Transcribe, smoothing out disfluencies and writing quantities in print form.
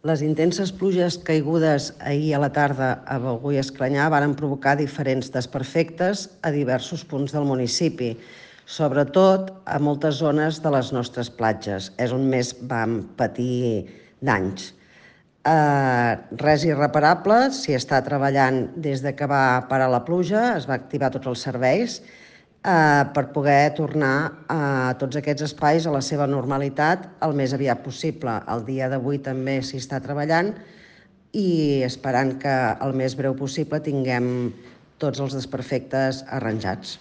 Les intenses pluges caigudes ahir a la tarda a Begur i Esclanyà varen provocar diferents desperfectes a diversos punts del municipi, sobretot a moltes zones de les nostres platges. És on més vam patir danys. Res irreparable, s'hi està treballant des de que va parar la pluja, es va activar tots els serveis per poder tornar a tots aquests espais a la seva normalitat el més aviat possible. El dia d'avui també s'hi està treballant i esperant que el més breu possible tinguem tots els desperfectes arranjats.